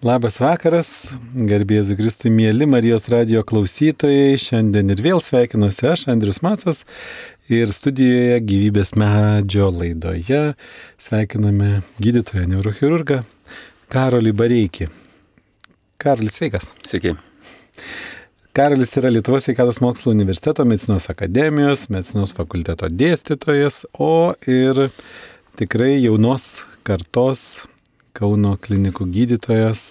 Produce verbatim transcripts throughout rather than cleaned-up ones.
Labas vakaras, garbėsiu Kristui, mėly Marijos radijo klausytojai. Šiandien ir vėl sveikinuosi aš, Andrius Macas, ir studijoje Gyvybės medžio laidoje sveikiname gydytoją neurochirurgą Karolį Bareikį. Karolis, sveikas. Sveiki. Karolis yra Lietuvos sveikatos mokslų universiteto medicinos akademijos, medicinos fakulteto dėstytojas, o ir tikrai jaunos kartos Kauno klinikų gydytojas,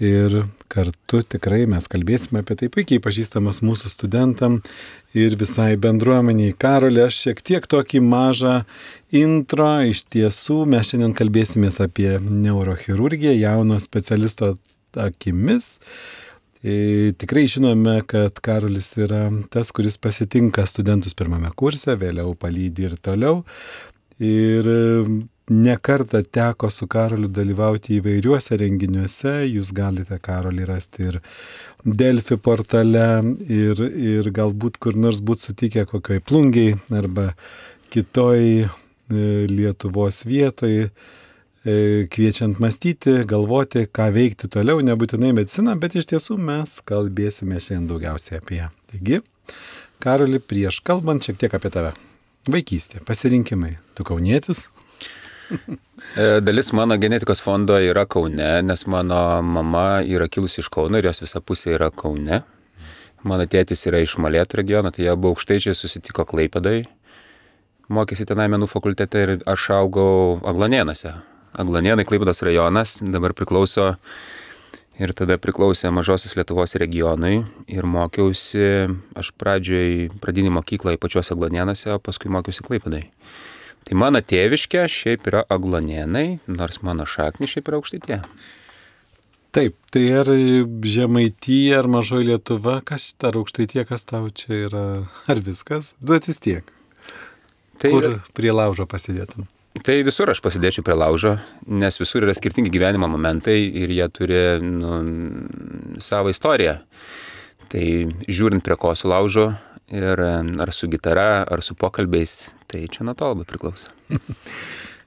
ir kartu tikrai mes kalbėsime apie tai puikiai pažįstamas mūsų studentam ir visai bendruomeniai. Karoli, aš šiek tiek tokį mažą intro, iš tiesų mes šiandien kalbėsimės apie neurochirurgiją jauno specialisto akimis. E, tikrai žinome, kad Karolis yra tas, kuris pasitinka studentus pirmame kurse, vėliau palydi ir toliau. Ir ne kartą teko su Karoliu dalyvauti įvairiuose renginiuose, jūs galite Karolį rasti ir Delfi portale, ir, ir galbūt kur nors būt sutikę kokioj Plungėj arba kitoj e, Lietuvos vietoj, e, kviečiant mąstyti, galvoti, ką veikti toliau, nebūtinai mediciną, bet iš tiesų mes kalbėsime šiandien daugiausiai apie ją. Taigi, Karoli, prieš kalbant šiek tiek apie tave. Vaikystė, pasirinkimai. Tu kaunietis? Dalis mano genetikos fondo yra Kaune, nes mano mama yra kilusi iš Kauno ir jos visa pusė yra Kaune. Mano tėtis yra iš Molėtų regiono, tai jie buvo aukštaičiai, susitiko Klaipėdoj. Mokėsi tenai menų fakultete ir aš augau Aglonėnuose. Aglonėnai, Klaipėdos rajonas, dabar priklauso ir tada priklausė Mažosios Lietuvos regionui ir mokiausi, aš pradžioj pradinį mokyklą pačiuose Aglonėnuose, o paskui mokiausi Klaipėdoj. Tai mano tėviškė šiaip yra Aglonėnai, nors mano šaknys šiaip yra Aukštaitija. Taip, tai ar Žemaitija, ar Mažoji Lietuva, kas ar Aukštaitija, kas tau čia yra, ar viskas? Duotis tiek. Tai kur prie laužo pasidėtum? Tai visur aš pasidėčiau prie laužo, nes visur yra skirtingi gyvenimo momentai ir jie turi nu, savo istoriją. Tai žiūrint prie ko su laužo ir ar su gitara, ar su pokalbiais, tai čia nuo to labai priklauso.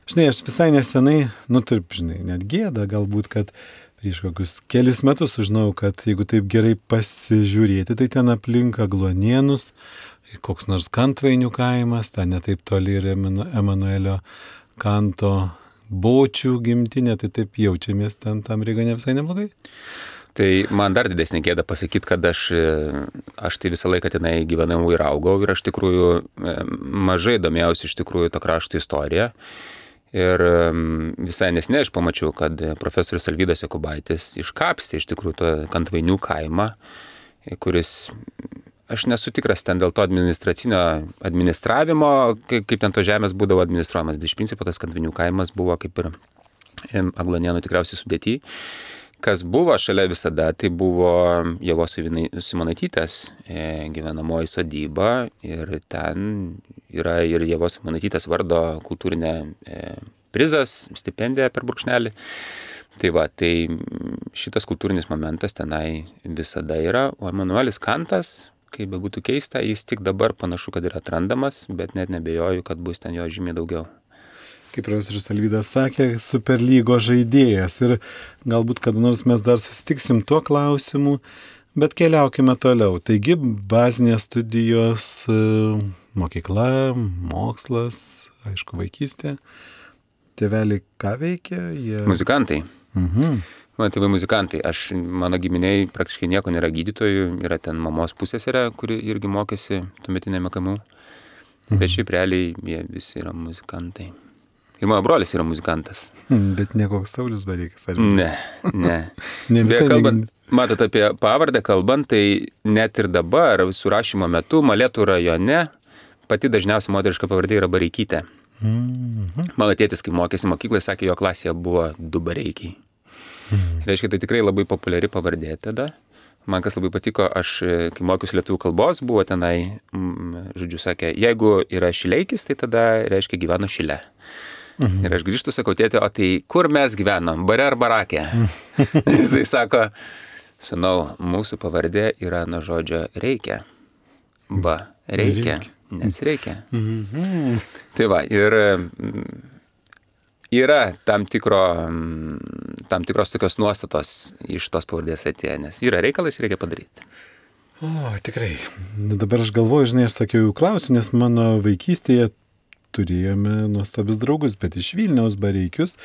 Žinai, aš visai nesenai, nu taip, žinai, net gėda galbūt, kad prieš kokius kelis metus sužinojau, kad jeigu taip gerai pasižiūrėti, tai ten aplink Aglonėnus, koks nors Kantvainių kaimas, ten netaip toli yra Emanuelio Kanto Bočių gimtinė, tai taip jaučiamės ten tam regione visai neblogai. Tai man dar didesnė gėda pasakyti, kad aš, aš tai visą laiką tenai gyvenau ir augau ir aš tikrųjų mažai domėjausi iš tikrųjų to krašto istoriją. Ir visai nesnei aš pamačiau, kad profesorius Alvydas Jokubaitis iškapstė iš tikrųjų to Kantvainių kaimą, kuris, aš nesu tikras ten dėl to administracinio administravimo, kaip, kaip ten to žemės būdavo administruojamas, bet iš principo tas Kantvainių kaimas buvo kaip ir Aglonėnų tikriausiai sudėty. Kas buvo šalia visada, tai buvo Ievos Simonaitytės gyvenamoji sodyba ir ten yra ir Ievos Simonaitytės vardo kultūrinė prizas, stipendija per brūkšnelį. Tai va, tai šitas kultūrinis momentas tenai visada yra, o Emanuelis Kantas, kaip bebūtų keista, jis tik dabar panašu, kad yra atrandamas, bet net nebejoju, kad bus ten jo žymiai daugiau. Kaip profesorius Alvydas sakė, superlygos žaidėjas ir galbūt kada nors mes dar susitiksim tuo klausimu, bet keliaukime toliau. Taigi bazinės studijos, mokykla, mokslas, aišku, vaikystė. Tėveliai ką veikia? Jie... Muzikantai. Mhm. Mano tėvai muzikantai. Aš, mano giminiai praktiškai nieko nėra gydytojų, yra ten mamos pusseserė, kuri irgi mokėsi tuometinėme K M U, mhm. Bet šiaip realiai jie visi yra muzikantai. Ir mano brolis yra muzikantas. Bet ne koks Saulius Bareikas, ar ne? Ne, ne. Beje, kalbant, matot, apie pavardę kalbant, tai net ir dabar, surašymo metu, Molėtų rajone, pati dažniausia moteriška pavardė yra Bareikytė. Mm-hmm. Mano tėtis, kai mokėsi mokykloje, sakė, jo klasėje buvo du Bareikiai. Mm-hmm. Reiškia, tai tikrai labai populiari pavardė tada. Man kas labai patiko, aš, kai mokiausi lietuvių kalbos, buvo tenai, žodžiu, sakė, jeigu yra Šileikis, tai tada reiškia gyveno Šile. Mhm. Ir aš grįžtu, sakau, tėtė, o tai kur mes gyvenom, bare ar barake? Mhm. Jisai sako, sūnau, mūsų pavardė yra nuo žodžio reikia. Ba, reikia, nes reikia. Mhm. Tai va, ir yra tam, tikro, tam tikros tokios nuostatos iš tos pavardės atėję, nes yra reikalas, reikia padaryti. O, tikrai. Dabar aš galvoju, žinai, aš sakiau, jau klausiu, nes mano vaikystėje turėjome nuostabius draugus, bet iš Vilniaus Bareikius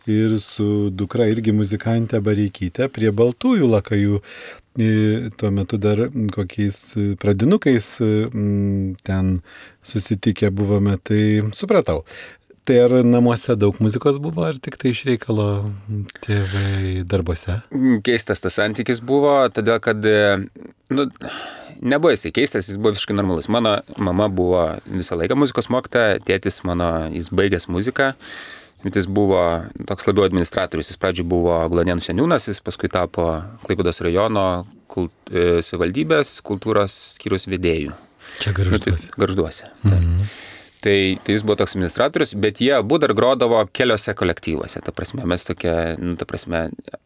ir su dukra irgi muzikantė Bareikytė prie Baltųjų Lakajų. Tuo metu dar kokiais pradinukais ten susitikę buvome, tai supratau. Tai ar namuose daug muzikos buvo, ar tik tai iš reikalo tėvai darbuose? Keistas tas santykis buvo, todėl kad, nu, nebuvo jisai keistas, jis buvo visiškai normalus. Mano mama buvo visą laiką muzikos mokytoja, tėtis mano, jis baigęs muziką, bet jis buvo toks labiau administratorius. Jis pradžioj buvo Glonėnų seniūnas, jis paskui tapo Klaipėdos rajono kult, e, savivaldybės kultūros skyriaus vedėjų. Čia Gargžduose. Gargžduose. Mhm. Tai, tai jis buvo toks administratorius, bet jie abu dar grodavo keliose kolektyvuose. Ta prasme, mes tokia, nu, ta prasme,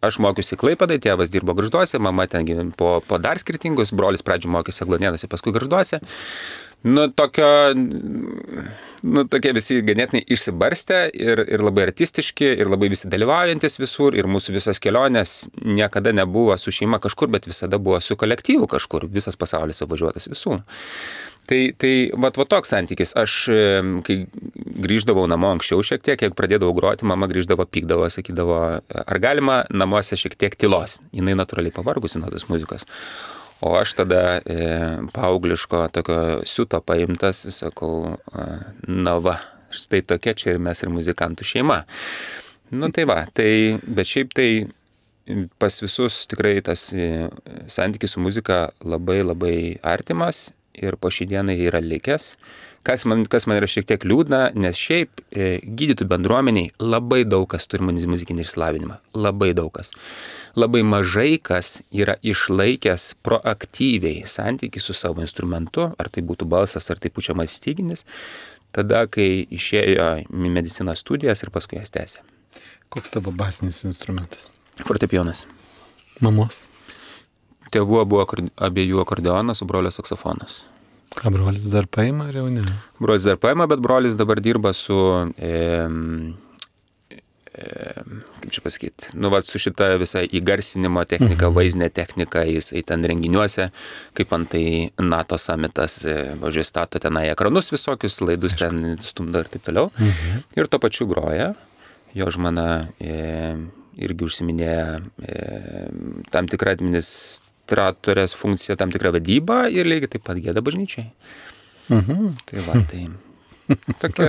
aš mokiausi Klaipėdai, tėvas dirbo Gargžduose, mama ten po, po dar skirtingus, brolis pradžioj mokėsi Glonėnuose, paskui Gargžduose. Nu, tokio, nu, tokie visi ganėtinai išsibarstę ir, ir labai artistiški, ir labai visi dalyvaujantis visur, ir mūsų visos kelionės niekada nebuvo su šeima kažkur, bet visada buvo su kolektyvu kažkur, visas pasaulis apvažiuotas visų. Tai, tai vat, vat toks santykis. Aš, kai grįždavau namo anksčiau šiek tiek, jeigu pradėdavau groti, mama grįždavo, pykdavo, sakydavo, ar galima namuose šiek tiek tylos. Jinai natūraliai pavargusi nuo tos muzikos. O aš tada e, paaugliško tokio siuto paimtas, sakau, na va, štai tokia čia ir mes ir muzikantų šeima. Nu tai va, tai, bet šiaip tai pas visus tikrai tas santykis su muzika labai labai artimas. Ir po šį dieną yra likęs, kas man, kas man yra šiek tiek liūdna, nes šiaip e, gydytojų bendruomeniai labai daug kas turi muzikinį išsilavinimą, labai daug kas. Labai mažai kas yra išlaikęs proaktyviai santykį su savo instrumentu, ar tai būtų balsas, ar tai pučiamas styginis, tada, kai išėjo į medicinos studijas ir paskui jas tęsė. Koks tavo basinis instrumentas? Fortepijonas. Mamos? Tėvų buvo abiejų akordeonas, o brolio saksofonas. Ką brolis dar paima, ar jau ne? Brolis dar paima, bet brolis dabar dirba su, e, e, kaip čia pasakyti, nu, va, su šita visa įgarsinimo technika, mhm. vaizdinė technika, jisai ten renginiuose, kaip antai NATO summitas, važiuoja stato tenai ekranus visokius, laidus ten stumdo ir taip toliau. Mhm. Ir to pačiu groja, jo žmona e, irgi užsiminėja e, tam tikrą administraciją, administratorės funkcija, tam tikra vadyba ir lygiai taip pat gieda bažnyčiai. Mhm. Tai va, tai tokia...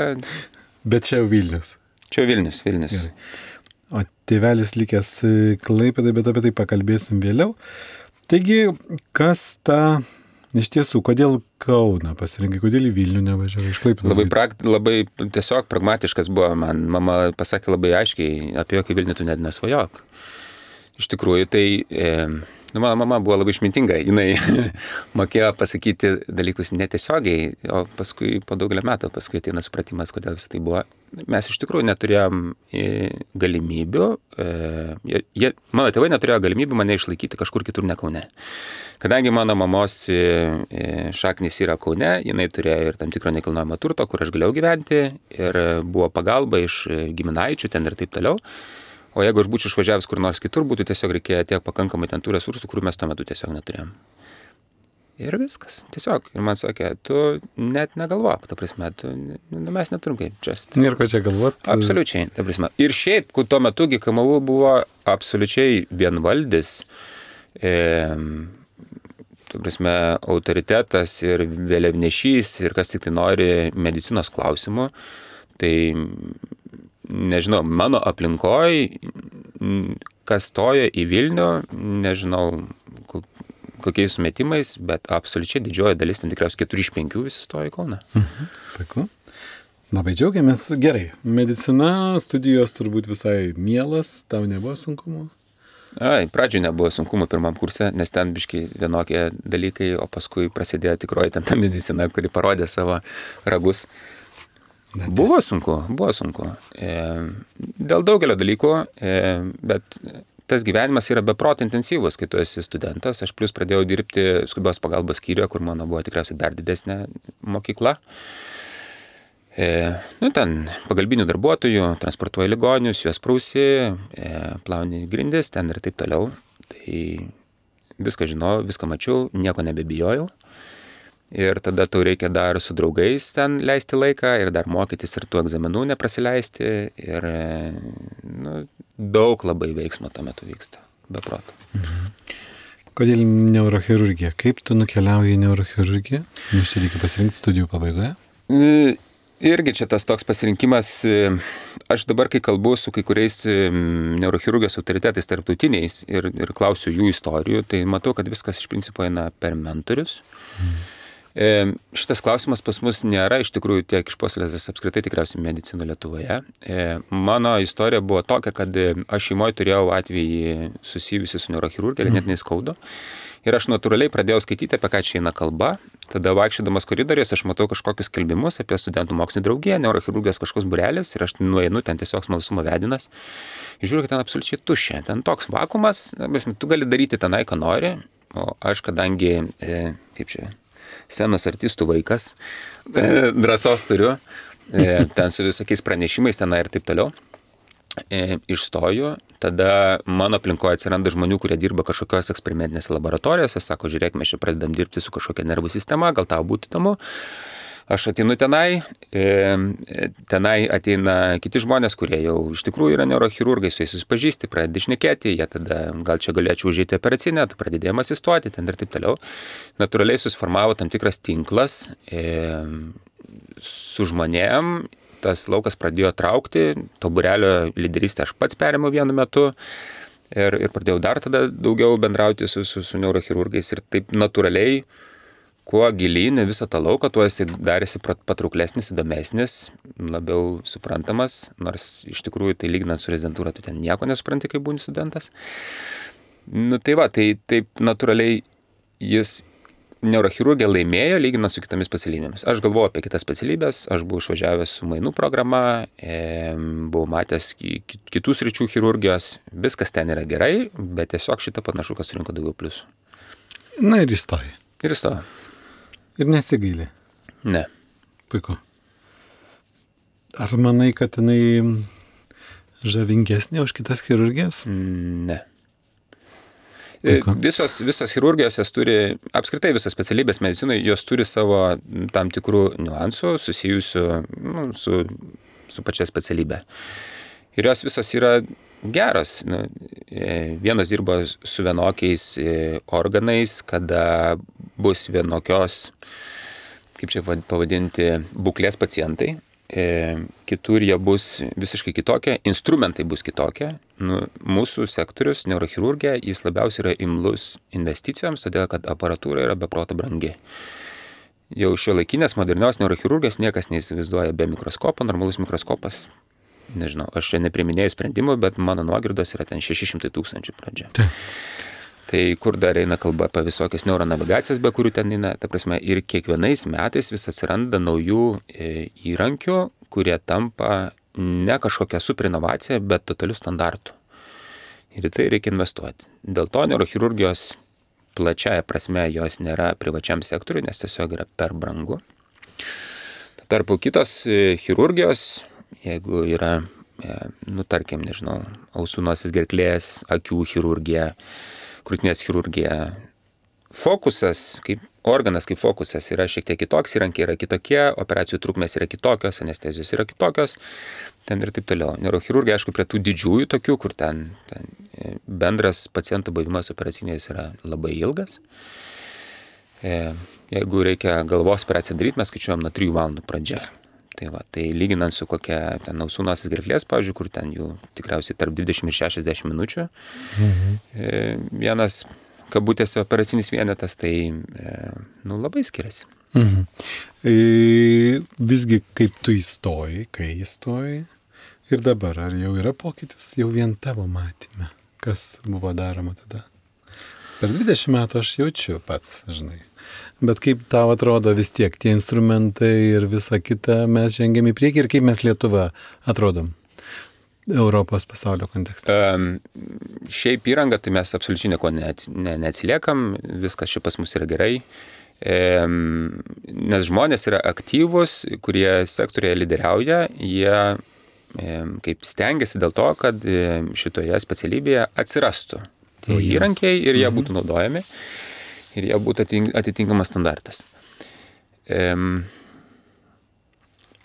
Bet čia jau Vilnius. Čia jau Vilnius, Vilnius. Gerai. O tėvelis likęs Klaipėdai, bet apie tai pakalbėsim vėliau. Taigi, kas ta, iš tiesų, kodėl Kauną pasirinkai, kodėl į Vilnių nevažiavai iš Klaipėdos? Labai, prakt, labai tiesiog pragmatiškas buvo man. Mama pasakė labai aiškiai, apie jokį Vilnių tu net nesvajok. Iš tikrųjų, tai... E, Nu, mano mama buvo labai išmintinga, jinai mokėjo pasakyti dalykus netiesiogiai, o paskui po daugelio metų paskui ateina supratimas, kodėl visą tai buvo. Mes iš tikrųjų neturėjom galimybių, jie, mano tėvai neturėjo galimybių mane išlaikyti kažkur kitur ne Kaune. Kadangi mano mamos šaknis yra Kaune, jinai turėjo ir tam tikro nekilnojamo turto, kur aš galėjau gyventi ir buvo pagalba iš giminaičių ten ir taip toliau. O jeigu aš būčiau išvažiavęs kur nors kitur, būtų tiesiog reikėję tiek pakankamai ten tų resursų, kurių mes tuo metu tiesiog neturėjom. Ir viskas. Tiesiog. Ir man sakė, tu net negalvok, ta prasme, tu, nu, mes neturim kaip just. Ir ko čia galvot? Absoliučiai, ta prasme. Ir šiaip, tuo metu G K M U buvo absoliučiai vienvaldis, e, ta prasme, autoritetas ir vėliavnešys ir kas tik tai nori medicinos klausimų. Tai nežinau, mano aplinkoj, kas stojo į Vilnių, nežinau kokiais sumetimais, bet absoliučiai didžioji dalis, ten tikriausiai keturi iš penkių visi stojo į Kauną. Mhm. Puiku. Labai džiaugiamės. Gerai. Medicina, studijos turbūt visai mielas, tau nebuvo sunkumų? Ai, pradžioje nebuvo sunkumų pirmam kurse, nes ten biškai vienokie dalykai, o paskui prasidėjo tikroji ten ta medicina, kuri parodė savo ragus. Buvo sunku, buvo sunku. E, dėl daugelio dalykų, e, bet tas gyvenimas yra beproto intensyvus, kai tu esi studentas. Aš plus pradėjau dirbti skubios pagalbos skyriuje, kur mano buvo tikriausiai dar didesnė mokykla. E, nu, ten pagalbinių darbuotojų, transportuoja ligonius, juos prausi, e, plauni grindis, ten ir taip toliau. Tai viską žinojau, viską mačiau, nieko nebebijojau. Ir tada tau reikia dar su draugais ten leisti laiką ir dar mokytis ir tų egzaminų neprasileisti. Ir nu, daug labai veiksmo tuo metu vyksta, be proto. Mhm. Kodėl neurochirurgija? Kaip tu nukeliauji į neurochirurgiją? Nes čia reikia pasirinkti studijų pabaigoje. Irgi čia tas toks pasirinkimas. Aš dabar, kai kalbu su kai kuriais neurochirurgijos autoritetais tarptautiniais ir, ir klausiu jų istorijų, tai matau, kad viskas iš principo eina per mentorius. Mhm. E, šitas klausimas pas mus nėra iš tikrųjų tiek išpuoselėtas apskritai tikriausiai medicino Lietuvoje. E, mano istorija buvo tokia, kad aš šeimoje turėjau atvejį susijusi su neurochirurgija, mm. net neskaudo. Ir aš natūraliai pradėjau skaityti, apie ką čia eina kalba. Tada vaikščiodamas koridoriais aš matau kažkokius skelbimus apie studentų mokslinį draugiją, neurochirurgijos kažkoks būrelis ir aš nueinu ten tiesiog smalsumo vedinas. Ir žiūriu, kad ten absoliučiai tuščia. Ten toks vakuumas, tu gali daryti tenai, ką nori. O aš kadangi, e, kaip čia... senas artistų vaikas, drąsos turiu, ten su visokiais pranešimais tenai ir taip toliau, išstoju, tada mano aplinkoje atsiranda žmonių, kurie dirba kažkokios eksperimentinėse laboratorijose, sako, žiūrėk, mes čia pradedam dirbti su kažkokia nervų sistema, gal tau būtų įdomu. Aš ateinu tenai, tenai ateina kiti žmonės, kurie jau iš tikrųjų yra neurochirurgai, su jais susipažįsti, pradedi šnekėti, jie tada gal čia galėčiau užėti operacinę, tu pradedėjom asistuoti ten ir taip toliau. Natūraliai susiformavo tam tikras tinklas e, su žmonėm, tas laukas pradėjo traukti, to būrelio lyderystę aš pats perėmiau vienu metu ir, ir pradėjau dar tada daugiau bendrauti su, su, su neurochirurgais ir taip natūraliai kuo gilyn visą tą lauką, tuo jisai darėsi patrauklesnis, įdomesnis, labiau suprantamas, nors iš tikrųjų tai lyginant su rezidentūra, tu ten nieko nesupranti, kai būni studentas. Nu tai va, tai taip natūraliai jis neurochirurgija laimėjo, lyginant su kitomis specialybėmis. Aš galvojau apie kitas specialybės, aš buvau išvažiavęs su mainų programa, e, buvau matęs kitų sričių chirurgijos, viskas ten yra gerai, bet tiesiog šitą panašu, kad surinko daugiau pliusų. Na ir įstoji. Ir įstojo. Ir nesigaili? Ne. Puiku. Ar manai, kad jinai žavingesnė už kitas chirurgijas? Ne. Puiku. Visos, visos chirurgijos, jos turi, apskritai visos specialybės medicinoje, jos turi savo tam tikrų niuansų susijusių nu, su, su pačia specialybė. Ir jos visos yra geros. Nu, vienos dirba su vienokiais organais, kada bus vienokios, kaip čia pavadinti, būklės pacientai. Kitur jie bus visiškai kitokie, instrumentai bus kitokie. Nu, mūsų sektorius, neurochirurgija, jis labiausiai yra imlus investicijoms, todėl kad aparatūra yra beproto brangi. Jau šiuolaikinės modernios neurochirurgijos niekas neįsivaizduoja be mikroskopo, normalus mikroskopas. Nežinau, aš čia nepriminėjau sprendimų, bet mano nuogirdos yra ten šeši šimtai tūkstančių pradžia. Tai. tai kur dar eina kalba apie visokias neuronavigacijas, be kurių ten eina, ta prasme, ir kiekvienais metais vis atsiranda naujų e, įrankių, kurie tampa ne kažkokia super inovacija, bet totalių standartų. Ir į tai reikia investuoti. Dėl to neurochirurgijos plačiaja prasme jos nėra privačiam sektoriui, nes tiesiog yra per brangu. Tarpu kitos e, chirurgijos, jeigu yra, nu, tarkim, nežinau, ausų, nosies, gerklės, akių chirurgija, krūtinės chirurgija, fokusas, kaip organas, kaip fokusas yra šiek tiek kitoks, įrankiai yra kitokie, operacijų trukmės yra kitokios, anestezijos yra kitokios, ten ir taip toliau. Neurochirurgija, aišku, prie tų didžiųjų tokių, kur ten, ten bendras pacientų buvimas operacinės yra labai ilgas. Jeigu reikia galvos operaciją daryti, mes skaičiuojam nuo trijų valandų pradžia. Tai, va, tai lyginant su kokia ten ausų, nosies, gerklės, pavyzdžiui, kur ten jų tikriausiai tarp dvidešimt ir šešiasdešimt minučių, mhm. e, vienas kabutėse operacinis vienetas, tai e, nu, labai skiriasi. Mhm. E, visgi, kaip tu įstoji, kai įstoji ir dabar, ar jau yra pokytis jau vien tavo matyme, kas buvo daroma tada? Per dvidešimt metų aš jaučiu pats, žinai. Bet kaip tau atrodo vis tiek tie instrumentai ir visa kita, mes žengiam į priekį ir kaip mes Lietuva atrodom Europos pasaulio kontekste? Um, šiaip įranga, tai mes absoliučiai nieko ne, ne, neatsiliekam, viskas čia pas mus yra gerai. Nes žmonės yra aktyvūs, kurie sektorėje lyderiauja, jie kaip stengiasi dėl to, kad šitoje specialybėje atsirastų tie įrankiai ir jie būtų naudojami ir jie būtų atitinkamas standartas.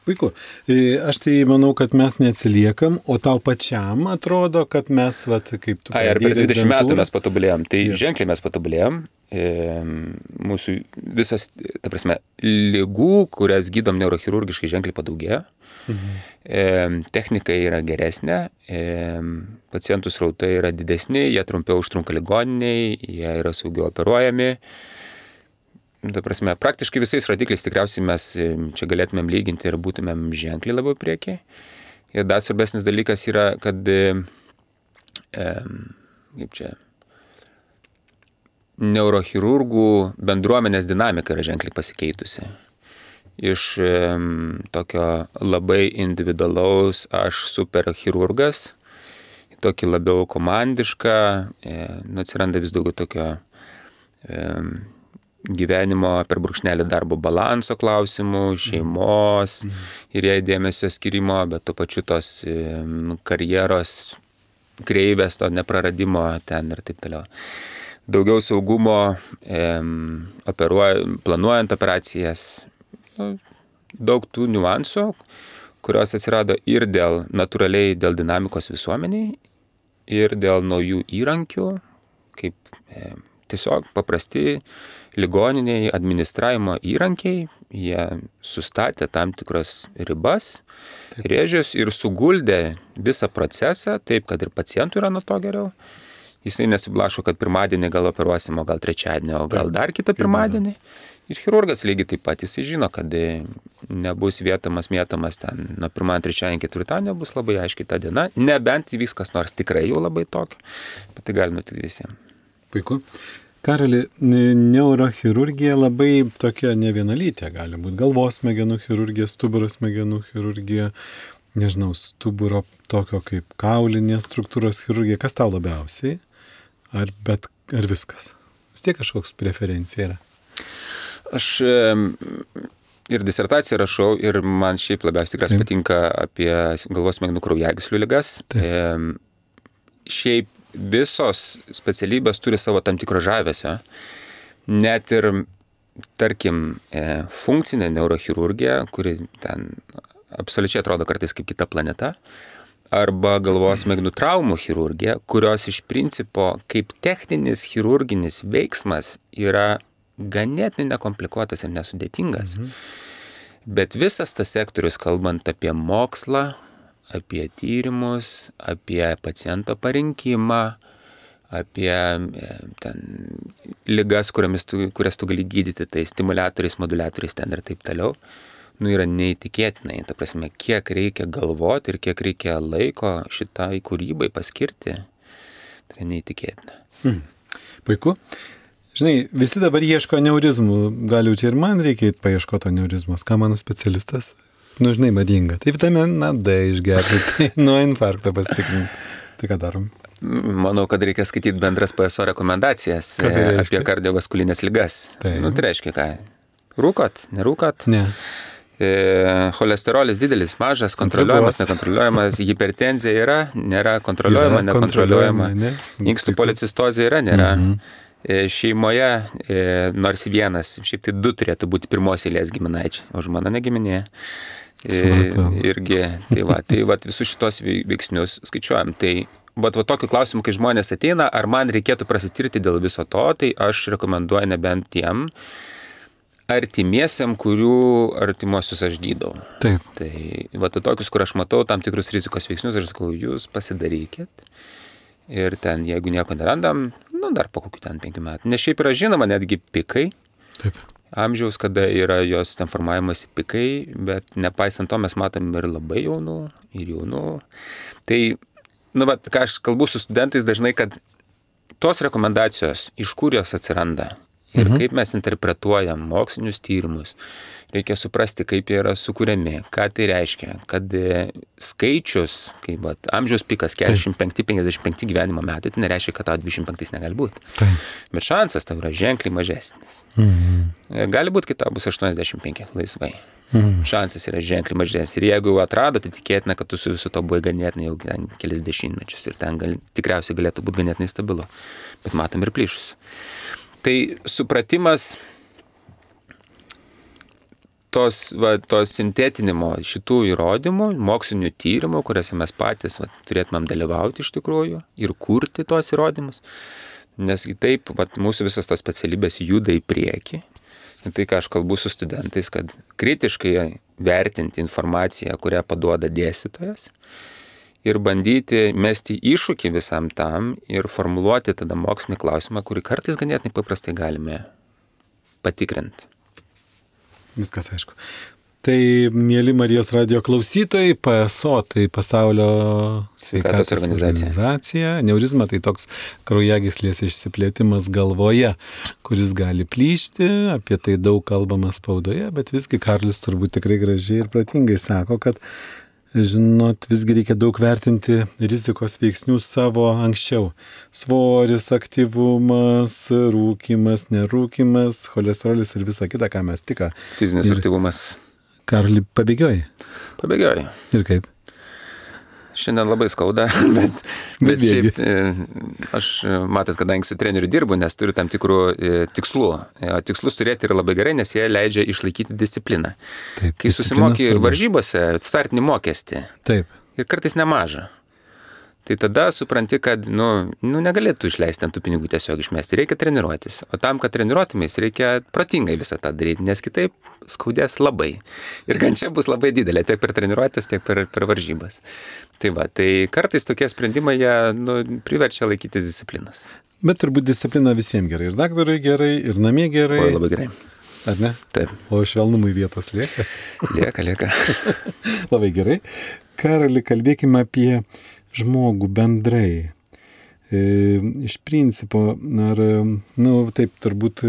Puiku. Aš tai manau, kad mes neatsiliekam, o tau pačiam atrodo, kad mes, vat, kaip tu... Ai, ar per dvidešimt metų mes patobulėjom. Tai ja. Ženkliai mes patobulėjom. E, mūsų visas, ta prasme, ligų, kurias gydom neurochirurgiškai, ženkliai padaugėjo. Mhm. E, technika yra geresnė, e, pacientų srautai yra didesni, jie trumpiau užtrunka ligoniniai, jie yra saugiau operuojami. Ta prasme, praktiškai visais rodikliais tikriausiai mes čia galėtumėm lyginti ir būtumėm ženkliai labiau priekiai. Ir dar svarbesnis dalykas yra, kad e, kaip čia, neurochirurgų bendruomenės dinamika yra ženkliai pasikeitusi. Iš e, tokio labai individualaus aš superchirurgas, tokį labiau komandišką, e, nu, atsiranda vis daugiau tokio e, gyvenimo per brūkšnelį darbo balanso klausimų, šeimos mhm. ir jai dėmesio skirimo, bet tuo pačiu tos karjeros kreivės, to nepraradimo ten ir taip toliau. Daugiau saugumo, operuoj, planuojant operacijas, nu, daug tų niuansų, kurios atsirado ir dėl natūraliai dėl dinamikos visuomeniai, ir dėl naujų įrankių, kaip e, tiesiog paprasti ligoniniai administravimo įrankiai, jie sustatė tam tikras ribas, taip. Rėžius ir suguldė visą procesą, taip, kad ir pacientui yra nuo to geriau. Jisai nesiblaško, kad pirmadienį gal operuosim, o gal trečiadienį, o gal dar kitą pirmadienį. Ir chirurgas lygiai taip pat, jisai žino, kad nebus vietomas, mėtomas ten nuo pirmadienį, trečiadienį, ketvirtadienį, bus labai aiškiai ta diena, nebent įvyks kas nors tikrai jau labai tokio, bet tai gali nutikti visiems. Puiku. Karoli, neurochirurgija labai tokia nevienalytė gali būti. Galvos smegenų chirurgija, stuburo smegenų chirurgija, nežinau, stuburo tokio kaip kaulinės struktūros chirurgija. Kas tau labiausiai? Ar, bet, ar viskas? Vis tiek kažkoks preferencija yra? Aš ir disertaciją rašau ir man šiaip labiausiai tikras patinka apie galvos smegenų kraujagyslių ligas. Taip. Šiaip visos specialybės turi savo tam tikro žavesio. Net ir, tarkim, funkcinė neurochirurgija, kuri ten absoliučiai atrodo kartais kaip kita planeta, arba galvos smegenų traumų chirurgija, kurios iš principo kaip techninis chirurginis veiksmas yra ganėtinai nekomplikuotas ir nesudėtingas. Mhm. Bet visas tas sektorius, kalbant apie mokslą, apie tyrimus, apie paciento parinkimą, apie ten ligas, tu, kurias tu gali gydyti, tai stimuliatoriais, moduliatoriais ten ir taip toliau, nu yra neįtikėtinai. Ta prasme, kiek reikia galvoti ir kiek reikia laiko šitai kūrybai paskirti, tai yra neįtikėtina. Hmm. Puiku. Žinai, visi dabar ieško aneurizmų, gal jau čia ir man reikia paieškoti aneurizmos, ką mano specialistas? Nu, žinai, madinga. Tai vitaminą D išgerti, tai nuo infarkto pasitikrinti. Tai ką darom? Manau, kad reikia skaityti bendras P S O rekomendacijas apie kardiovaskulinės ligas. Tai. Nu, tai reiškia ką? Rūkot, nerūkot? Ne. E, cholesterolis didelis, mažas, kontroliuojamas, nekontroliuojamas, hipertenzija yra, nėra, kontroliuojama, yra, nekontroliuojama. Ne? Inkstų policistozė yra, nėra. Mhm. E, šeimoje, e, nors vienas, šiaip tai du turėtų būti pirmos eilės giminaičiai, o žmona negiminė. Irgi, tai va, tai va, visus šitos veiksnius skaičiuojam. Tai va, va tokiu klausimu, kai žmonės ateina, ar man reikėtų prasitirti dėl viso to, tai aš rekomenduoju nebent tiem artimiesiam, kurių artimuosius aš gydau. Taip. Tai va, tai tokius, kur aš matau tam tikrus rizikos veiksnius, aš sakau, jūs pasidarykit. Ir ten, jeigu nieko nerandam, nu, dar po kokių ten penkių metų. Nes šiaip yra žinoma netgi pikai. Taip. Amžiaus, kada yra jos ten formavimas pikai, bet nepaisant to mes matom ir labai jaunų, ir jaunų. Tai, nu, bet ką aš kalbu su studentais dažnai, kad tos rekomendacijos, iš kur jos atsiranda, Ir mhm. kaip mes interpretuojam mokslinius tyrimus, reikia suprasti, kaip jie yra sukūriami, ką tai reiškia, kad skaičius, kaip vat, amžiaus pikas keturiasdešimt penki penkiasdešimt penki gyvenimo metai, tai nereiškia, kad tau dvidešimt penki negali būti. Tai. Bet šansas tau yra ženkliai mažesnis. Mhm. Gali būti, kad tau bus aštuoniasdešimt penki laisvai. Mhm. Šansas yra ženkliai mažesnis. Ir jeigu jau atrado, tai tikėtina, kad tu su visu to buvai ganėtinai jau kelis dešimtmečius. Ir ten gal, tikriausiai galėtų būti ganėtinai stabilu. Bet matom ir plyšus. Tai supratimas tos, va, tos sintetinimo šitų įrodymų, mokslinių tyrimų, kuriuose mes patys va, turėtumėm dalyvauti iš tikrųjų ir kurti tos įrodymus, nes taip va, mūsų visas tos specialybės juda į priekį. Ir tai, ką aš kalbu su studentais, kad kritiškai vertinti informaciją, kurią paduoda dėstytojas, ir bandyti mesti iššūkį visam tam ir formuluoti tada mokslinį klausimą, kurį kartais ganėtinai paprastai galime patikrinti. Viskas aišku. Tai, mėly Marijos radijo klausytojai, P S O, tai Pasaulio sveikatos organizacija. organizacija. Neurizma tai toks kraujagyslės išsiplėtimas galvoje, kuris gali plyšti, apie tai daug kalbama spaudoje, bet visgi Karolis turbūt tikrai gražiai ir pratingai sako, kad žinot, visgi reikia daug vertinti rizikos veiksnių savo anksčiau. Svoris, aktyvumas, rūkymas, nerūkymas, cholesterolis ir visa kita, ką mes tik. Fizinis ir aktyvumas. Karoli, pabėgioji? Pabėgioji. Ir kaip? Šiandien labai skauda, bet, bet šiaip aš, matot, kadangi su treneriu dirbu, nes turiu tam tikrų tikslų. O tikslus turėti yra labai gerai, nes jie leidžia išlaikyti discipliną. Taip, kai susimoki varžybose, startinį mokestį. Taip. Ir kartais nemaža. Tai tada supranti, kad nu, nu, negalėtų išleisti ant tų pinigų tiesiog išmesti. Reikia treniruotis. O tam, kad treniruotumės, reikia protingai visą tą daryti, nes kitaip skaudės labai. Ir kančia bus labai didelė, tiek per treniruotės, tiek per, per varžybas. Tai va, tai kartais tokie sprendimai jie nu, priverčia laikytis disciplinas. Bet turbūt disciplina visiems gerai. Ir daktarai gerai, ir namie gerai. O, labai gerai. Ar ne? Taip. O švelnumui vietos lieka? Lieka, lieka. Labai gerai. Karoli, kalbėkime apie žmogų bendrai. E, iš principo, ar, nu, taip, turbūt,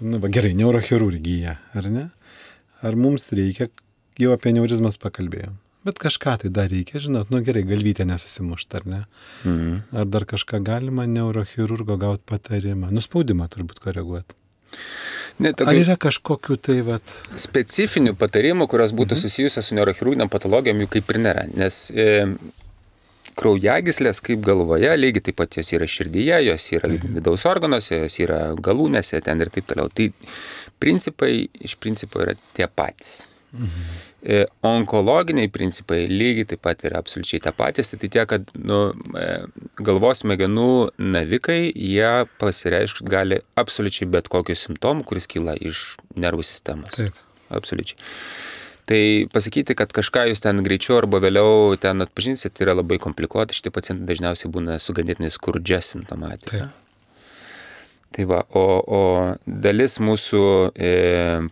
nu, va, gerai, neurochirurgija, ar ne? Ar mums reikia, jau apie neurizmas pakalbėjom, bet kažką tai dar reikia, žinot, nu, gerai, galvytė nesusimušta, ar ne? Mhm. Ar dar kažką galima neurochirurgo gauti patarimą, nuspaudimą turbūt koreguoti? Ne, tokia... Ar yra kažkokių tai vat... specifinių patarimų, kurios būtų mhm. susijusios su neurochirurginiam patologijom, jų kaip ir nėra, nes... E... kraujagyslės kaip galvoje, lygiai taip pat jos yra širdyje, jos yra vidaus organuose, jos yra galūnėse, ten ir taip toliau. Tai principai iš principo yra tie patys. Mhm. E, onkologiniai principai lygiai taip pat yra absoliučiai tie patys, tai tie, kad nu, galvos smegenų navikai, jie pasireiškti gali absoliučiai bet kokiu simptomu, kuris kyla iš nervų sistemos. Taip. Absoliučiai. Tai pasakyti, kad kažką jūs ten greičiau arba vėliau ten atpažinsite, tai yra labai komplikuota. Šitie pacientai dažniausiai būna su ganėtinai skurdžia simptomatika. Taip. Tai va, o, o dalis mūsų e,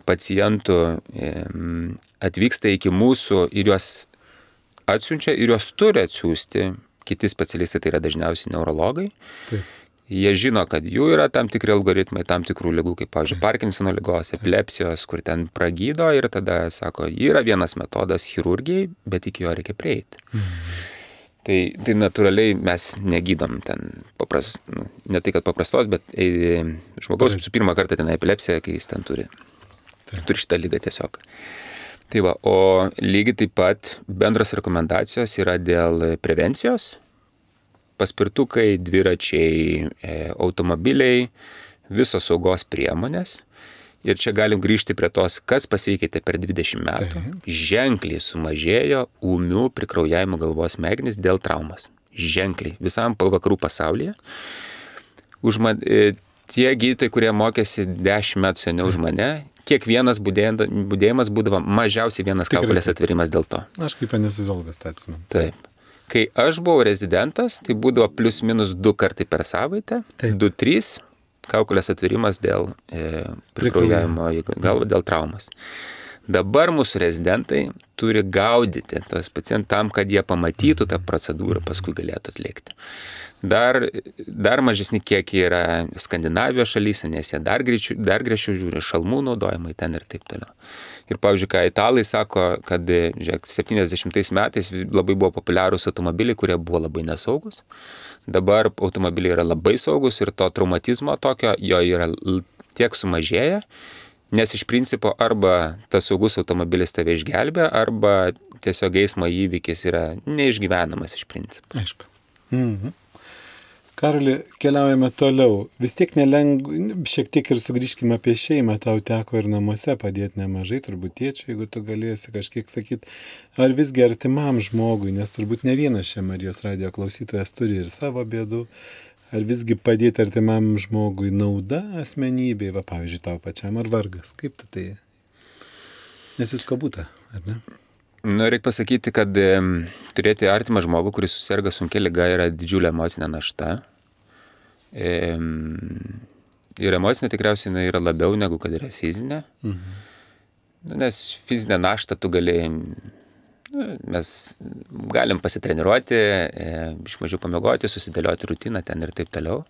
pacientų e, atvyksta iki mūsų ir juos atsiunčia ir juos turi atsiųsti kiti specialistai, tai yra dažniausiai neurologai. Taip. Jie žino, kad jų yra tam tikri algoritmai, tam tikrų ligų, kaip, pavyzdžiui, Parkinsono ligos, epilepsijos, kur ten pragydo ir tada sako, yra vienas metodas chirurgijai, bet iki jo reikia prieiti. Mhm. Tai, tai natūraliai mes negydom ten, papras, nu, ne tai, kad paprastos, bet e, žmogaus su pirmą kartą ten epilepsija, kai jis ten turi. Taip. Turi šitą ligą tiesiog. Tai va, o lygiai taip pat bendros rekomendacijos yra dėl prevencijos. Paspirtukai, dviračiai, automobiliai, visos saugos priemonės. Ir čia galim grįžti prie tos, kas pasikeitė per dvidešimt metų. Taip. Ženkliai sumažėjo ūmių prikraujavimo galvos smegenys dėl traumas. Ženkliai. Visam vakarų pasaulyje. Už man, tie gydytojai, kurie mokėsi dešimt metų seniau už mane, kiekvienas budėjimas būdavo mažiausiai vienas kaukolės atverimas dėl to. Aš kaip anesteziologas tą atsimenu. Taip. Kai aš buvau rezidentas, tai būdavo plius minus du kartai per savaitę, Taip. du trys kaukolės atverimas dėl e, prikraujavimo galvą, dėl traumas. Dabar mūsų rezidentai turi gaudyti tos pacientus tam, kad jie pamatytų tą procedūrą, paskui galėtų atlikti. Dar, dar mažesni kiekiai yra Skandinavijos šalyse, nes jie dar, greičiau, dar griežčiau žiūri šalmų naudojimai ten ir taip toliau. Ir pavyzdžiui, ką italai sako, kad žiūrėk, septyniasdešimtais metais labai buvo populiarūs automobiliai, kurie buvo labai nesaugus. Dabar automobiliai yra labai saugus ir to traumatizmo tokio jo yra tiek sumažėję, nes iš principo arba tas saugus automobilis tave išgelbė, arba tiesiog eismo įvykis yra neišgyvenamas iš principo. Aišku. Mhm. Karoli, keliaujame toliau. Vis tiek nelengva, šiek tiek ir sugrįžkime apie šeimą. Tau teko ir namuose padėti nemažai, turbūt tėčiui, jeigu tu galėsi kažkiek sakyti. Ar visgi artimam žmogui, nes turbūt ne vienas čia Marijos radijo klausytojas turi ir savo bėdų. Ar visgi padėti artimam žmogui nauda asmenybei, va pavyzdžiui, tau pačiam, ar vargas? Kaip tu tai? Nes visko būta, ar ne? Nu, reikia pasakyti, kad e, turėti artimą žmogų, kuris susirga sunkia liga, yra didžiulė emocinė našta. E, ir emocinė tikriausiai yra labiau negu kad yra fizinė. Mhm. Nes fizinę naštą tu gali... Mes galim pasitreniruoti, iš mažiau pamiegoti, susidėlioti rutiną ten ir taip toliau.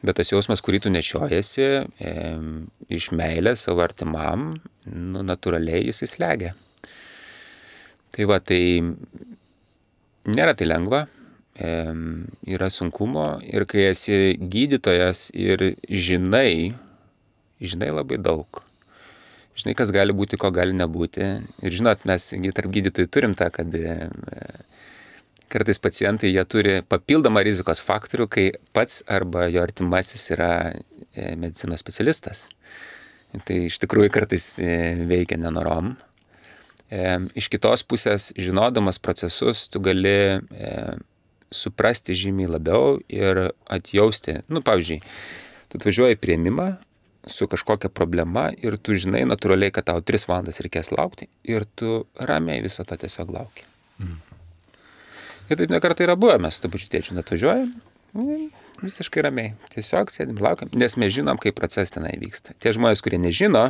Bet tas jausmas, kurį tu nešiojasi, e, iš meilės savo artimam, nu, natūraliai jisai slegia. Tai va, tai nėra tai lengva, e, yra sunkumo ir kai esi gydytojas ir žinai, žinai labai daug. Žinai, kas gali būti, ko gali nebūti. Ir žinot, mes tarp gydytojų turim tą, kad kartais pacientai jie turi papildomą rizikos faktorių, kai pats arba jo artimasis yra medicinos specialistas. Tai iš tikrųjų kartais veikia nenorom. Iš kitos pusės, žinodamas procesus, tu gali suprasti žymiai labiau ir atjausti. Nu, pavyzdžiui, tu atvažiuoji į priėmimą su kažkokia problema ir tu žinai natūraliai, kad tau tris valandas reikės laukti ir tu ramiai visą tą tiesiog lauki. Mm. Ir taip nekartai yra buvę, mes su to pačiu tėčiu atvažiuojam, visiškai ramiai, tiesiog sėdim, laukiam, nes mes žinom, kaip procesas tenai vyksta. Tie žmonės, kurie nežino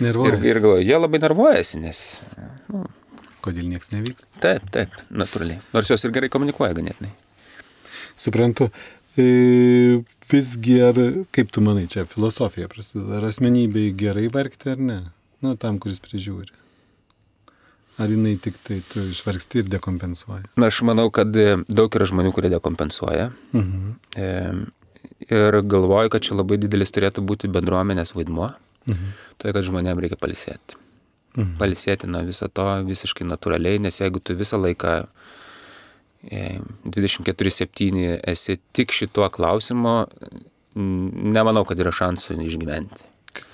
ir, ir galvoja, jie labai nervuojasi, nes... Nu, kodėl nieks nevyks? Taip, taip, natūraliai. Nors jos ir gerai komunikuoja ganėtinai. Suprantu. E, visgi, ar, kaip tu manai, čia filosofija prasideda, ar asmenybei gerai vargti ar ne? Nu, tam, kuris prižiūri. Ar jinai tik tai tu išvargsti ir dekompensuoja? Na, aš manau, kad daug yra žmonių, kurie dekompensuoja. Mhm. E, ir galvoju, kad čia labai didelis turėtų būti bendruomenės vaidmuo. Mhm. Tai, kad žmonėm reikia palisėti. Mhm. Palisėti nuo viso to visiškai natūraliai, nes jeigu tu visą laiką dvidešimt keturi septyni esi tik šituo klausimu, nemanau, kad yra šansų išgyventi.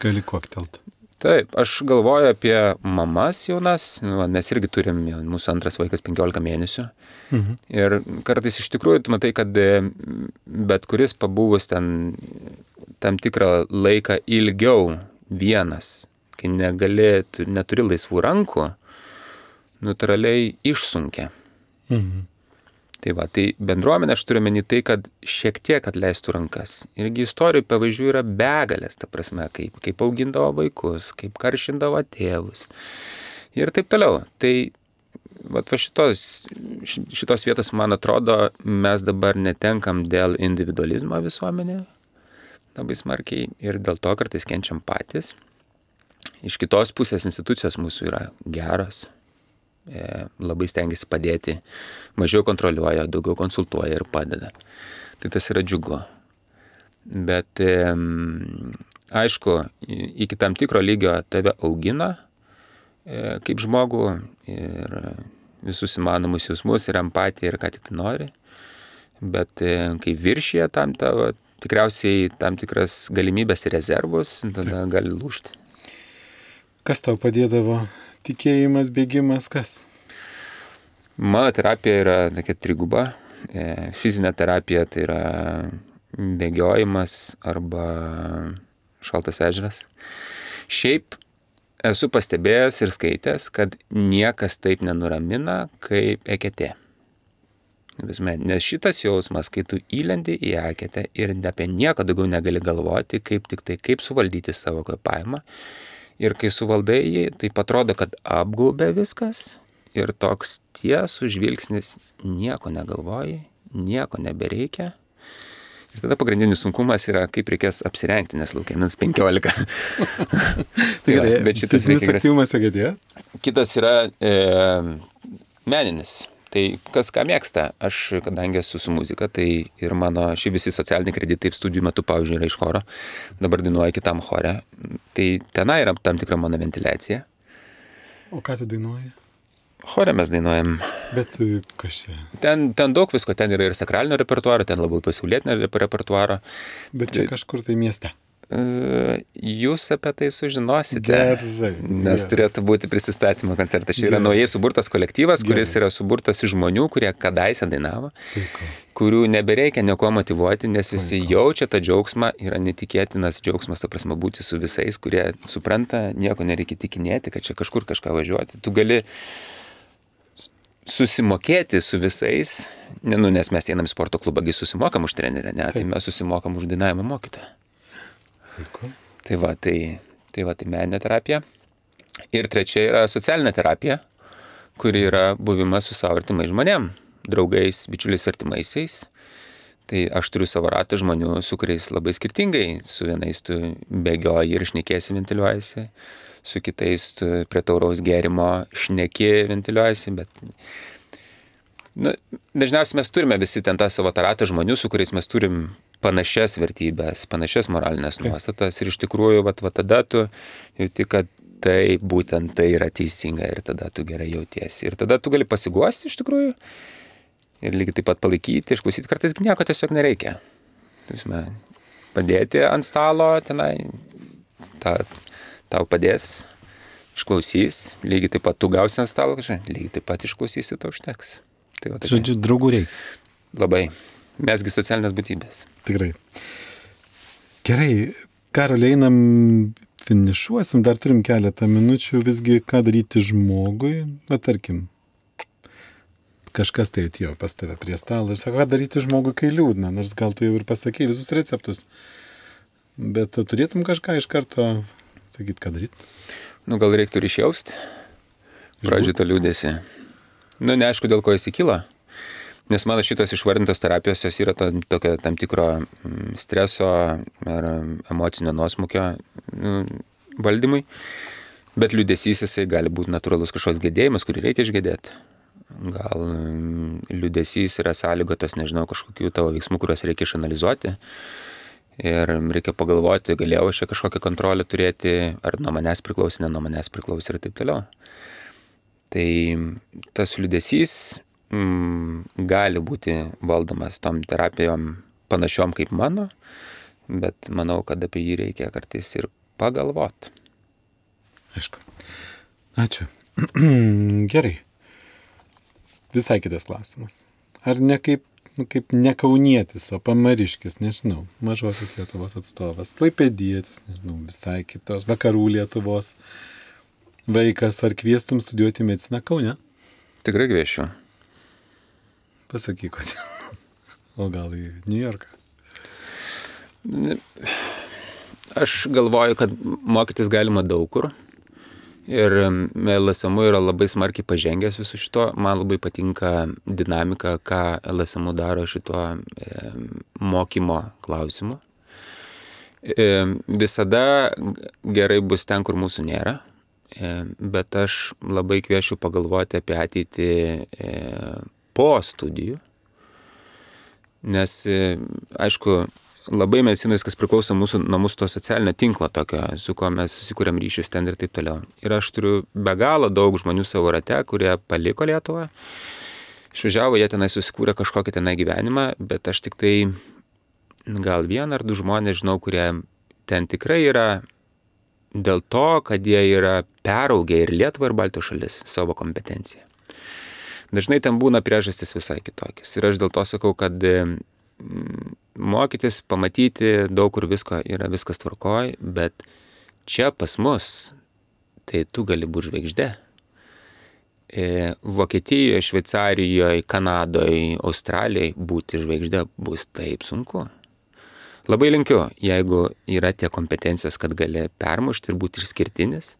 Gali koktelti. Taip, aš galvoju apie mamas jaunas, nu, mes irgi turim, mūsų antras vaikas penkiolika mėnesių. Mhm. Ir kartais iš tikrųjų tu matai, kad bet kuris pabuvus ten tam tikrą laiką ilgiau vienas, kai negali, tu neturi laisvų rankų, natūraliai išsunkia. Mhm. Tai va, tai bendruomenė aš turiu meni tai, kad šiek tiek atleistų rankas. Irgi istorijų pavyzdžių yra begalės, ta prasme, kaip, kaip augindavo vaikus, kaip karšindavo tėvus ir taip toliau. Tai va, va šitos, šitos vietos, man atrodo, mes dabar netenkam dėl individualizmo visuomenė labai smarkiai ir dėl to kartais kenčiam patys. Iš kitos pusės institucijos mūsų yra geros. Labai stengiasi padėti, mažiau kontroliuoja, daugiau konsultuoja ir padeda. Tai tas yra džiugu. Bet e, aišku, iki tam tikro lygio tave augina e, kaip žmogų ir visus įmanomus jausmus ir empatiją ir ką tik tai nori. Bet e, kai viršyje tam tavo, tikriausiai tam tikras galimybės ir rezervus, tada Taip. Gali lūžti. Kas tau padėdavo? Tikėjimas, bėgimas, kas? Mano terapija yra tokia triguba. Fizinė terapija tai yra bėgiojimas arba šaltas ežeras. Šiaip esu pastebėjęs ir skaitęs, kad niekas taip nenuramina kaip eketė. Nes šitas jausmas, kai tu įlendi į eketę ir apie nieko daugiau negali galvoti, kaip tik tai, kaip suvaldyti savo kvėpavimą. Ir kai suvaldai jį, tai atrodo, kad apgaubė viskas ir toks tiesų žvilgsnis, nieko negalvoji, nieko nebereikia. Ir tada pagrindinis sunkumas yra, kaip reikės apsirengti, nes laukia minus penkiolika. Tai va, bet šitas fizinis aktyvumas, sakėte? Kitas yra e, meninis. Tai kas ką mėgsta, aš kadangi esu su muzika, tai ir mano šie visi socialiniai kreditai studijų metu, pavyzdžiui, yra iš choro, dabar dainuoju kitam chore, tai tenai yra tam tikra mano ventiliacija. O ką tu dainuoji? Chore mes dainuojam. Bet kas čia? Ten, ten daug visko, ten yra ir sakralinio repertuaro, ten labai pasaulietinio repertuaro. Bet čia kažkur tai mieste. Jūs apie tai sužinosite, Gerai, nes gerai. turėtų būti prisistatymo koncertas. Čia yra naujai suburtas kolektyvas, kuris Gerai. yra suburtas iš žmonių, kurie kadaise dainavo, Puiku. kurių nebereikia nieko motyvuoti, nes visi Puiku. jaučia tą džiaugsmą, yra netikėtinas džiaugsmas, ta prasme, būti su visais, kurie supranta, nieko nereikia tikinėti, kad čia kažkur kažką važiuoti. Tu gali susimokėti su visais, ne, nu, nes mes einam į sporto klubą, gi susimokam už trenerę, ne, tai mes susimokam už dainavimo mokytoją. Puiku. Tai va, tai, tai va, tai meninė terapija. Ir trečia yra socialinė terapija, kuri yra buvimas su savo artimais žmonėm, draugais, bičiuliais artimaisiais. Tai aš turiu savo ratą žmonių, su kuriais labai skirtingai. Su vienais tu bėgioji ir šnekėsi, ventiliuojasi, su kitais tu prie tauraus gėrimo šneki, ventiliuojasi, bet nu, dažniausiai mes turime visi ten tą savo ratą žmonių, su kuriais mes turim panašias vertybės, panašias moralinės nuostatas ir iš tikrųjų, vat, vat tada tu jauti, kad tai būtent tai yra teisinga ir tada tu gerai jautiesi. Ir tada tu gali pasiguosti iš tikrųjų ir lygiai taip pat palaikyti, išklausyti, kartais nieko tiesiog nereikia. Turime padėti ant stalo tenai, ta, tau padės, išklausys, lygiai taip pat tu gausi ant stalo, lygiai taip pat išklausysi, tau užteks. Tai va, Žodžiu, draugų reikia. Labai. Mesgi socialinės būtybės. Tikrai. Gerai, Karoli, einam, finišuosim, dar turim keletą minučių, visgi ką daryti žmogui, bet tarkim, kažkas tai atėjo pas tave prie stalo ir sako, ką daryti žmogui, kai liūdna, nors gal tu jau ir pasakei visus receptus, bet turėtum kažką iš karto sakyti, ką daryti? Nu, gal reiktų ir išjausti, pradžiui to liūdėsi. Nu, neaišku, dėl ko jis įkyla. Nes mano šitas išvardintas terapijos, jos yra to, tokio tam tikro streso ar emocinio nuosmukio nu, valdymui, bet liūdesys jisai gali būti natūralus kažkoks gedėjimas, kurį reikia išgedėti. Gal liūdesys yra sąlygotas, nežinau, kažkokių tavo veiksmų, kuriuos reikia išanalizuoti ir reikia pagalvoti, galėjau aš čia kažkokią kontrolę turėti, ar nuo manęs priklausė, ne nuo manęs priklausė ir taip toliau. Tai tas liūdesys mm, gali būti valdomas tom terapijom panašiom kaip mano, bet manau, kad apie jį reikia kartais ir pagalvoti. Aišku. Ačiū. Gerai. Visai kitas klausimas. Ar ne kaip, nu, kaip ne kaunietis, o pamariškis, nežinau, mažosios Lietuvos atstovas, klaipėdietis, nežinau, visai kitos, vakarų Lietuvos vaikas, ar kviestum studijuoti mediciną Kaune? Tikrai kviesčiau. Pasakyk, kodėl. O gal į New Yorką? Aš galvoju, kad mokytis galima daug kur. Ir L S M U yra labai smarkiai pažengęs visu šito. Man labai patinka dinamika, ką L S M U daro šituo e, mokymo klausimu. E, visada gerai bus ten, kur mūsų nėra. Bet aš labai kviečiu pagalvoti apie ateitį po studijų, nes, aišku, labai medicinai viskas priklauso mūsų, nuo mūsų to socialinio tinklo tokio, su kuo mes susikūrėm ryšius ten ir taip toliau. Ir aš turiu be galo daug žmonių savo rate, kurie paliko Lietuvą, išvažiavo, jie tenai susikūrė kažkokį tenai gyvenimą, bet aš tik tai gal vieną ar du žmonės žinau, kurie ten tikrai yra dėl to, kad jie yra peraugę ir Lietuvą, ir Baltijos šalis savo kompetenciją. Dažnai ten būna priežastis visai kitokios. Ir aš dėl to sakau, kad mokytis, pamatyti daug kur visko yra viskas tvarkoj, bet čia pas mus, tai tu gali būti žvaigždė. Vokietijoje, Šveicarijoje, Kanadoje, Australijoje būti žvaigždė bus taip sunku. Labai linkiu, jeigu yra tie kompetencijos, kad gali permušti ir būti išskirtinis.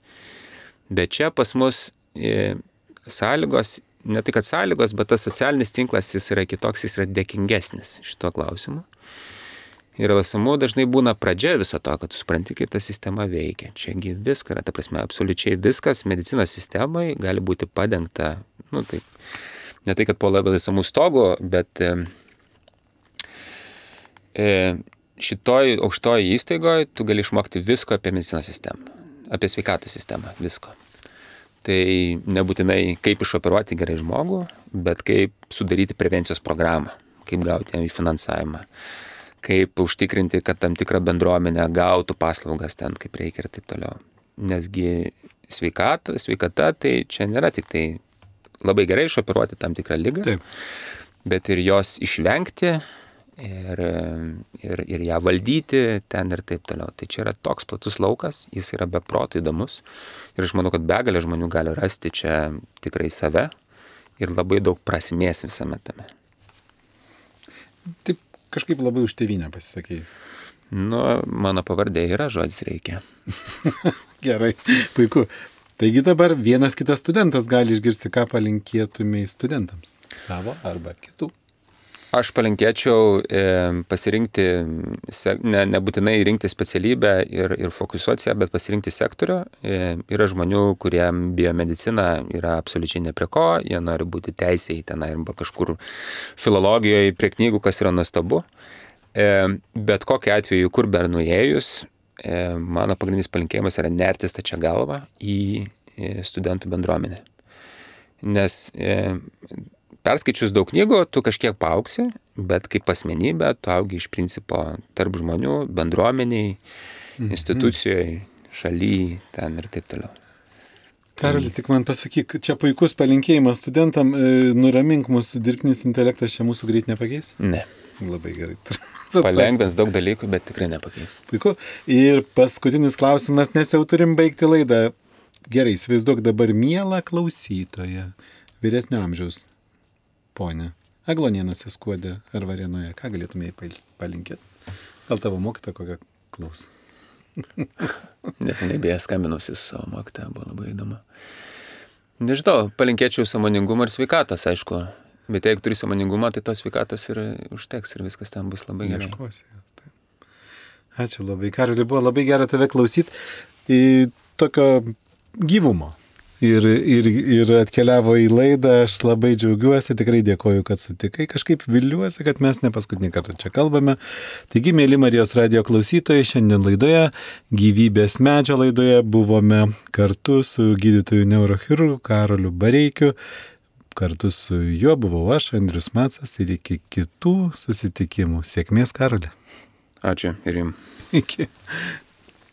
Bet čia pas mus e, sąlygos, ne tai kad sąlygos, bet tas socialinis tinklas jis yra kitoks, jis yra dėkingesnis šito klausimu. Ir el es em u dažnai būna pradžia viso to, kad tu supranti, kaip ta sistema veikia. Čiagi visko yra, ta prasme, absoliučiai viskas medicinos sistemai gali būti padengta, nu taip, ne tai, kad po el es em u stogu, bet e, e, šitoj aukštoj įstaigoje tu gali išmokti visko apie medicinos sistemą, apie sveikatos sistemą, visko. Tai nebūtinai kaip išoperuoti gerai žmogų, bet kaip sudaryti prevencijos programą, kaip gauti jam finansavimą, kaip užtikrinti, kad tam tikrą bendruomenę gautų paslaugas ten, kaip reikia ir taip toliau. Nesgi sveikata, sveikata tai čia nėra tik tai labai gerai išoperuoti tam tikrą ligą, Taip. bet ir jos išvengti ir, ir, ir ją valdyti ten ir taip toliau. Tai čia yra toks platus laukas, jis yra be proto įdomus ir aš manau, kad begalė žmonių gali rasti čia tikrai save ir labai daug prasmės visame tame. Taip kažkaip labai už tėvynę pasisakei. Nu, mano pavardė yra žodis reikia. Gerai, puiku. Taigi dabar vienas kitas studentas gali išgirsti, ką palinkėtumai studentams. Savo arba kitų. Aš palinkėčiau e, pasirinkti, se, ne, nebūtinai rinkti specialybę ir, ir fokusuoti ją, bet pasirinkti sektorių. E, yra žmonių, kuriem biomedicina yra absoliučiai ne prie ko, jie nori būti teisėjai tenai arba kažkur filologijoje prie knygų, kas yra nuostabu. E, bet kokiu atveju, kur be nuėjus, e, mano pagrindinis palinkėjimas yra nerti stačia galva į e, studentų bendruomenę. Nes e, perskaičius daug knygų, tu kažkiek paaugsi, bet kaip asmenybė, tu augi iš principo tarp žmonių, bendruomeniai, mm-hmm. institucijoje, šalyje, ten ir taip toliau. Karoli, tik man pasakyk, čia puikus palinkėjimas studentam, nuramink mūsų dirbtinis intelektas, čia mūsų greit nepakeis? Ne. Labai gerai. Palengvins daug dalykų, bet tikrai nepakeis. Puiku. Ir paskutinis klausimas, nes jau turim baigti laidą. Gerai, įsivaizduok dabar mielą klausytoją, vyresnio amžiaus. Ponė, Aglonėnuose, Skuode ar Varėnoje, ką galėtumėjai palinkėti? Gal tavo mokytoja kokią klausą? Neseniai beje skambinusi su savo mokytoja, buvo labai įdomu. Nežinau, palinkėčiau sąmoningumo ir sveikatos, aišku. Bet jeigu turi sąmoningumą, tai tos sveikatos ir užteks ir viskas ten bus labai gerai. Ieškosi. Ačiū labai, Karoli, buvo labai gera tave klausyti. Į tokio gyvumo. Ir, ir, ir atkeliavo į laidą, aš labai džiaugiuosi, tikrai dėkoju, kad sutikai, kažkaip viliuosi, kad mes ne paskutinį kartą čia kalbame. Taigi, mėly Marijos radijo klausytojai, šiandien laidoje, gyvybės medžio laidoje, buvome kartu su gydytoju neurochirurgu Karoliu Bareikiu, kartu su juo buvau aš, Andrius Macas, ir iki kitų susitikimų. Sėkmės, Karoli. Ačiū ir jums. Iki.